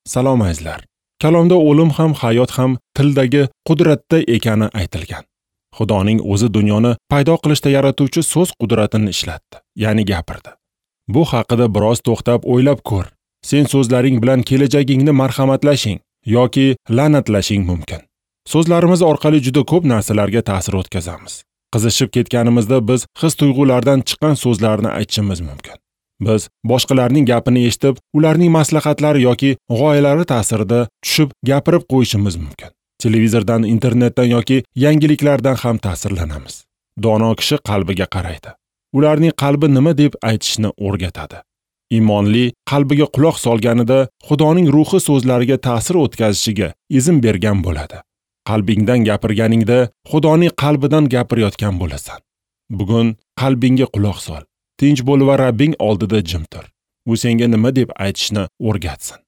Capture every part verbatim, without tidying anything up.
Salom azizlar. Kalomda o'lim ham, hayot ham tildagi qudratda ekani aytilgan. Xudoning o'zi dunyoni paydo qilishda yaratuvchi so'z qudratini ishlatdi, ya'ni gapirdi. Bu haqida biroz to'xtab o'ylab ko'r. Sen so'zlaring bilan kelajagingni marhamatlashing yoki la'natlashing mumkin. So'zlarimiz orqali juda ko'p narsalarga ta'sir o'tkazamiz. Qizishib ketganimizda biz his-tuyg'ulardan chiqqan so'zlarni aytishimiz mumkin. Biz boshqalarning gapini eshitib, ularning maslahatlari yoki g'oyalari ta'sirida tushib gapirib qo'yishimiz mumkin. Televizordan, internetdan yoki yangiliklardan ham ta'sirlanamiz. Dono kishi qalbiga qaraydi. Ularning qalbi nima deb aytishni o'rgatadi. Iymonli qalbiga quloq solganida Xudoning ruhi so'zlariga ta'sir o'tkazishiga izn bergan bo'ladi. Qalbingdan gapirganingda Xudoning qalbidan gapirayotgan bo'lasan. Bugun qalbingga quloq sol. Tinch bo'l va Rabbing oldida jim tur. U senga nima deb aytishni o'rgatsin.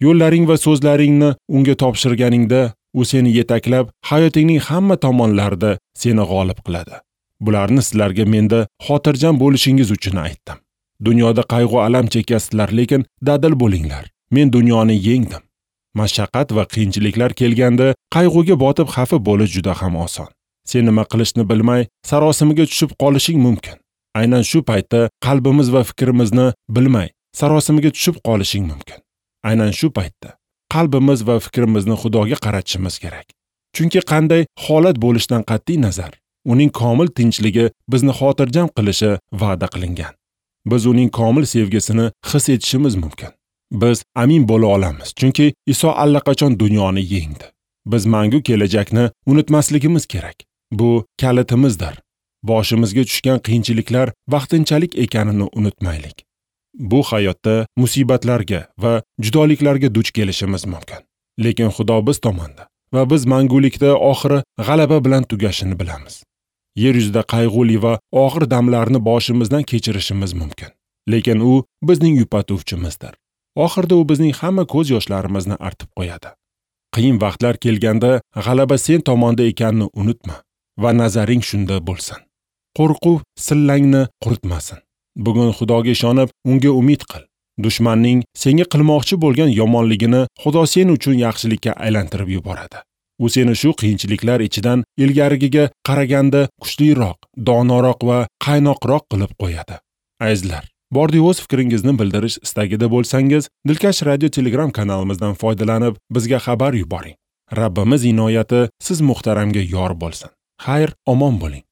Yo'llaring va so'zlaringni unga topshirganingda u seni yetaklab, hayotingning hamma tomonlarida seni g'olib qiladi. Bularni sizlarga menda xotirjam bo'lishingiz uchun aytdim. Dunyoda qayg'u alam chekasizlar, lekin dadil bo'linglar. Men dunyoni yengdim. Mashaqqat va qiyinchiliklar kelganda qayg'uga botib xafa bo'lish juda ham oson. Sen nima qilishni bilmay sarosimaga tushib qolishing mumkin. Aynan shu paytda qalbimiz va fikrimizni bilmay sarosimaga tushib qolishing mumkin. Aynan shu paytda qalbimiz va fikrimizni Xudoga qaratishimiz kerak. Chunki qanday holat bo'lishidan qat'iy nazar, uning komil tinchligi bizni xotirjam qilishi va'da qilingan. Biz uning komil sevgisini his etishimiz mumkin. Biz amin bo'la olamiz, chunki Iso allaqachon dunyoni yengdi. Biz mangu kelajakni unutmasligimiz kerak. Bu kalitimizdir. Boshimizga tushgan qiyinchiliklar vaqtinchalik ekanini unutmaylik. Bu hayotda musibatlarga va judoliklarga duch kelishimiz mumkin. Lekin Xudo biz tomonda va biz mangulikda oxiri g'alaba bilan tugashini bilamiz. Yer yuzida qayg'uli va og'ir damlarni boshimizdan kechirishimiz mumkin. Lekin u bizning yupatuvchimizdir. Oxirida u bizning hamma ko'z yoshlarimizni artib qo'yadi. Qiyin vaqtlar kelganda g'alaba sen tomonda ekanini unutma va nazaring shunda bo'lsin. Qo'rquv sillangni quritmasin. Bugun Xudoga ishonib, unga umid qil. Dushmanning senga qilmoqchi bo'lgan yomonligini Xudo sen uchun yaxshilikka aylantirib yuboradi. U seni shu qiyinchiliklar ichidan ilgarigiga qaraganda kuchliroq, donoroq va qaynoqroq qilib qo'yadi. Azizlar, bordi o'z fikringizni bildirish istagida bo'lsangiz, Dilkash Radio Telegram kanalimizdan foydalanib, bizga xabar yuboring. Rabbimiz inoyati siz muhtaramga yor bo'lsin. Xayr, omon bo'ling.